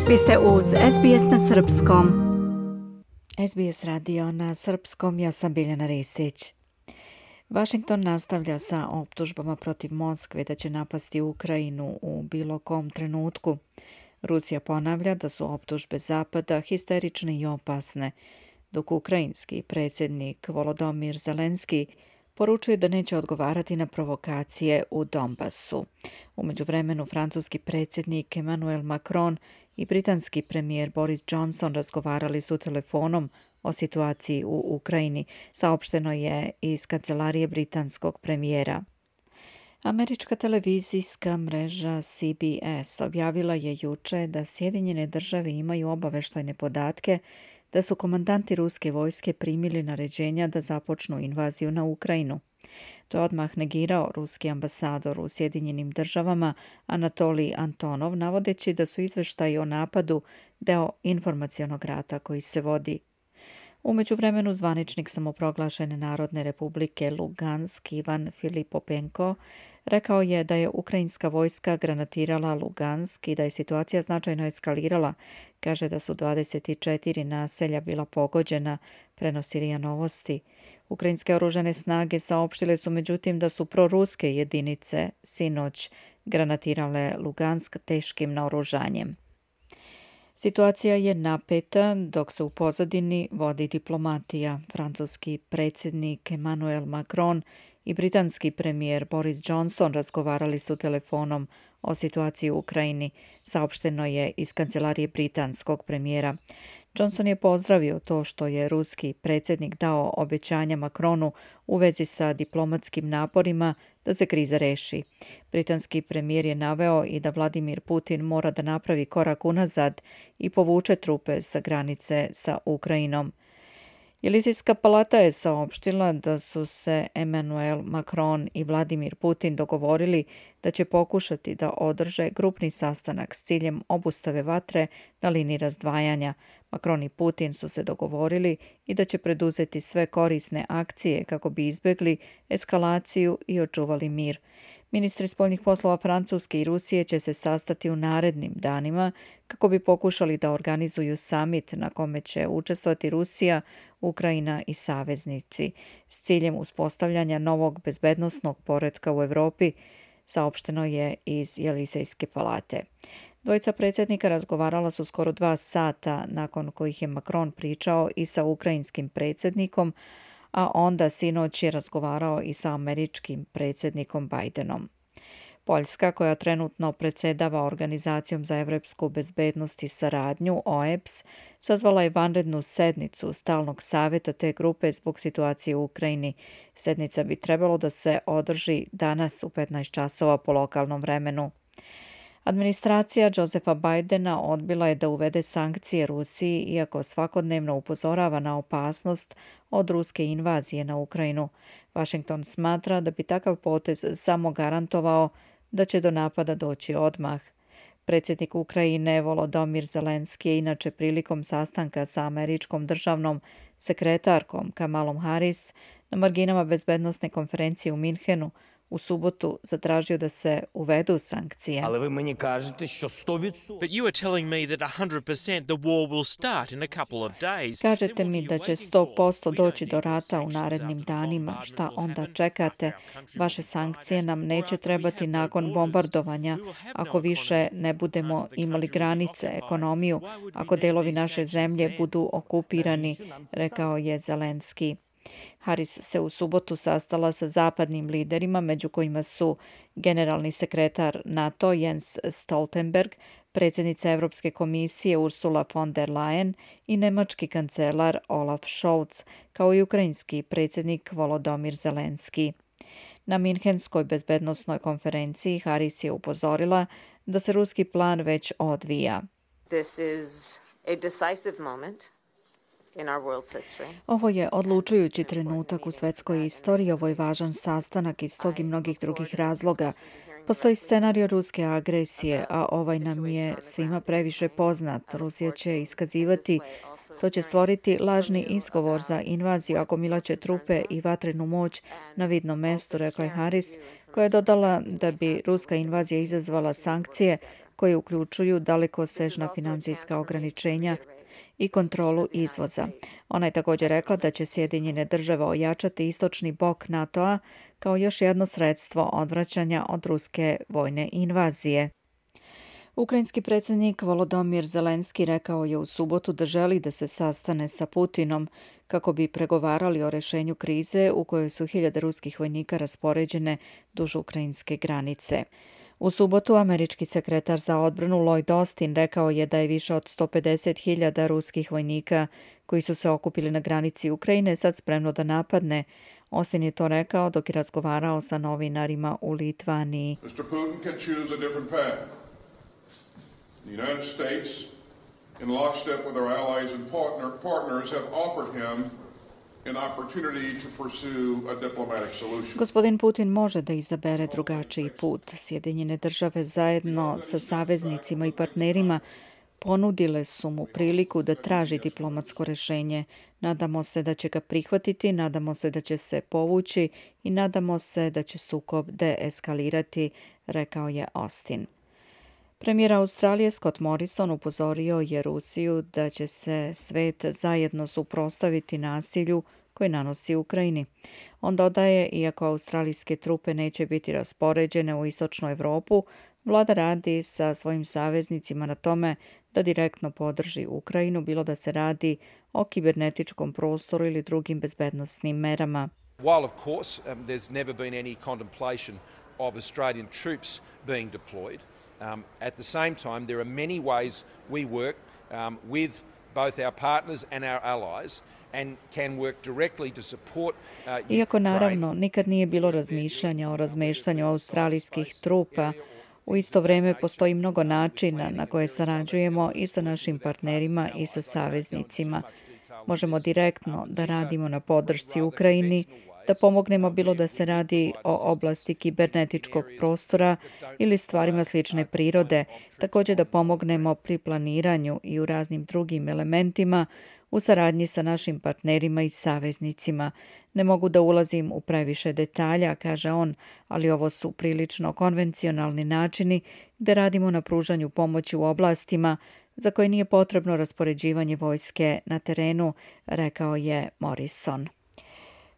Vi ste uz SBS na srpskom. SBS radio na srpskom, ja sam Biljana Ristić. Washington nastavlja sa optužbama protiv Moskve da će napasti Ukrajinu u bilo kom trenutku. Rusija ponavlja da su optužbe Zapada histerične i opasne, dok ukrajinski predsjednik Volodymyr Zelenski poručuje da neće odgovarati na provokacije u Donbasu. U međuvremenu francuski predsjednik Emmanuel Macron i britanski premijer Boris Johnson razgovarali su telefonom o situaciji u Ukrajini, saopšteno je iz kancelarije britanskog premijera. Američka televizijska mreža CBS objavila je juče da Sjedinjene države imaju obavještajne podatke da su komandanti ruske vojske primili naređenja da započnu invaziju na Ukrajinu. To je odmah negirao ruski ambasador u Sjedinjenim državama Anatolij Antonov, navodeći da su izveštaji o napadu deo informacionog rata koji se vodi. U međuvremenu zvaničnik samoproglašene Narodne republike Lugansk Ivan Filipopenko rekao je da je ukrajinska vojska granatirala Lugansk i da je situacija značajno eskalirala. Kaže da su 24 naselja bila pogođena, prenosi RIA Novosti. Ukrajinske oružane snage saopštile su međutim da su proruske jedinice sinoć granatirale Lugansk teškim naoružanjem. Situacija je napeta dok se u pozadini vodi diplomatija. Francuski predsjednik Emmanuel Macron i britanski premijer Boris Johnson razgovarali su telefonom o situaciji u Ukrajini, saopšteno je iz kancelarije britanskog premijera. Johnson je pozdravio to što je ruski predsjednik dao obećanja Macronu u vezi sa diplomatskim naporima da se kriza reši. Britanski premijer je naveo i da Vladimir Putin mora da napravi korak unazad i povuče trupe sa granice sa Ukrajinom. Elizejska palata je saopštila da su se Emmanuel Macron i Vladimir Putin dogovorili da će pokušati da održe grupni sastanak s ciljem obustave vatre na liniji razdvajanja. Macron i Putin su se dogovorili i da će preduzeti sve korisne akcije kako bi izbjegli eskalaciju i očuvali mir. Ministri spoljnih poslova Francuske i Rusije će se sastati u narednim danima kako bi pokušali da organizuju samit na kome će učestvovati Rusija, Ukrajina i saveznici s ciljem uspostavljanja novog bezbednosnog poretka u Europi, saopšteno je iz Elizejske palate. Dvojica predsjednika razgovarala su skoro 2 sata, nakon kojih je Macron pričao i sa ukrajinskim predsjednikom, a onda sinoć je razgovarao i sa američkim predsjednikom Bidenom. Poljska, koja trenutno predsjedava Organizacijom za evropsku bezbednost i saradnju, OEBS, sazvala je vanrednu sednicu stalnog savjeta te grupe zbog situacije u Ukrajini. Sednica bi trebalo da se održi danas u 15 časova po lokalnom vremenu. Administracija Josepha Bidena odbila je da uvede sankcije Rusiji, iako svakodnevno upozorava na opasnost od ruske invazije na Ukrajinu. Washington smatra da bi takav potez samo garantovao da će do napada doći odmah. Predsjednik Ukrajine Volodymyr Zelenski je inače prilikom sastanka sa američkom državnom sekretarkom Kamalom Harris na marginama bezbednosne konferencije u Minhenu u subotu zatražio da se uvedu sankcije. Але ви мені кажете, що 100%. But you are telling me that 100% the war will start in a couple of days. Kažete mi da će 100% doći do rata u narednim danima. Šta onda čekate? Vaše sankcije nam neće trebati nakon bombardovanja, ako više ne budemo imali granice, ekonomiju, ako delovi naše zemlje budu okupirani, rekao je Zelenski. Harris se u subotu sastala sa zapadnim liderima, među kojima su generalni sekretar NATO Jens Stoltenberg, predsjednica Europske komisije Ursula von der Leyen i nemački kancelar Olaf Scholz, kao i ukrajinski predsjednik Volodymyr Zelenski. Na Minhenskoj bezbednosnoj konferenciji Harris je upozorila da se ruski plan već odvija. This is a decisive moment in our world's history. Ovo je odlučujući trenutak u svetskoj istoriji, ovo je važan sastanak iz tog i mnogih drugih razloga. Postoji scenario ruske agresije, a ovaj nam je svima previše poznat. Rusija će iskazivati, to će stvoriti lažni izgovor za invaziju, agomilaće trupe i vatrenu moć na vidnom mestu, rekla je Harris, koja je dodala da bi ruska invazija izazvala sankcije koje uključuju dalekosežna financijska ograničenja i kontrolu izvoza. Ona je također rekla da će Sjedinjene države ojačati istočni bok NATO-a kao još jedno sredstvo odvraćanja od ruske vojne invazije. Ukrajinski predsjednik Volodymyr Zelenski rekao je u subotu da želi da se sastane sa Putinom kako bi pregovarali o rješenju krize u kojoj su 1000 ruskih vojnika raspoređene duž ukrajinske granice. U subotu američki sekretar za odbranu Lloyd Austin rekao je da je više od 150.000 ruskih vojnika koji su se okupili na granici Ukrajine sad spremno da napadne. Austin je to rekao dok je razgovarao sa novinarima u Litvaniji. Mr. Putin can choose a different path. The United States, in lockstep with our allies and partners, have offered him an opportunity to pursue a diplomatic solution. Gospodin Putin može da izabere drugačiji put. Sjedinjene države zajedno sa saveznicima i partnerima ponudile su mu priliku da traži diplomatsko rješenje. Nadamo se da će ga prihvatiti, nadamo se da će se povući i nadamo se da će sukob deeskalirati, rekao je Austin. Premijer Australije Scott Morrison upozorio je Rusiju da će se svet zajedno suprotstaviti nasilju koje nanosi Ukrajini. On dodaje, iako australijske trupe neće biti raspoređene u istočnu Europu, vlada radi sa svojim saveznicima na tome da direktno podrži Ukrajinu, bilo da se radi o kibernetičkom prostoru ili drugim bezbednosnim merama. While of course there's never been any contemplation of Australian troops being deployed, at the same time there are many ways we work with both our partners and our allies and can work directly to support Iako naravno nikad nije bilo razmišljanja o razmeštanju australijskih trupa, u isto vrijeme postoji mnogo načina na koje sarađujemo i sa našim partnerima i sa saveznicima. Možemo direktno da radimo na podršci Ukrajini, da pomognemo bilo da se radi o oblasti kibernetičkog prostora ili stvarima slične prirode, također da pomognemo pri planiranju i u raznim drugim elementima u saradnji sa našim partnerima i saveznicima. Ne mogu da ulazim u previše detalja, kaže on, ali ovo su prilično konvencionalni načini gdje radimo na pružanju pomoći u oblastima za koje nije potrebno raspoređivanje vojske na terenu, rekao je Morrison.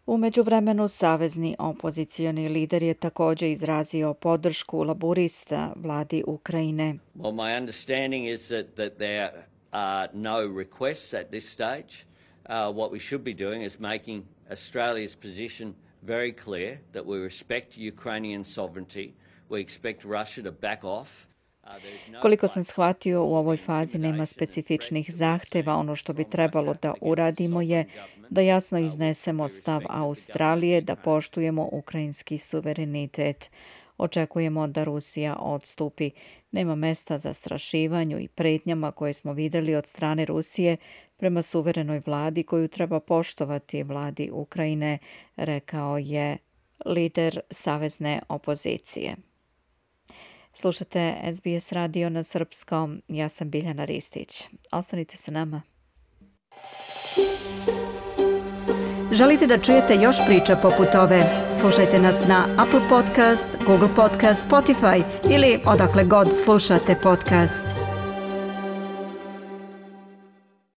U međuvremenu savezni opozicioni lider je također izrazio podršku laburista vladi Ukrajine. Well, my understanding is that there are no requests at this stage. What we should be doing is making Australia's position very clear that we respect Ukrainian sovereignty. We expect Russia to back off. Koliko sam shvatio, u ovoj fazi nema specifičnih zahteva. Ono što bi trebalo da uradimo je da jasno iznesemo stav Australije, da poštujemo ukrajinski suverenitet. Očekujemo da Rusija odstupi. Nema mesta za zastrašivanju i pretnjama koje smo vidjeli od strane Rusije prema suverenoj vladi koju treba poštovati vladi Ukrajine, rekao je lider savezne opozicije. Slušate SBS radio na srpskom. Ja sam Biljana Ristić. Ostanite sa nama. Želite da čujete još priča poput ove? Slušajte nas na Apple Podcast, Google Podcast, Spotify ili odakle god slušate podcast.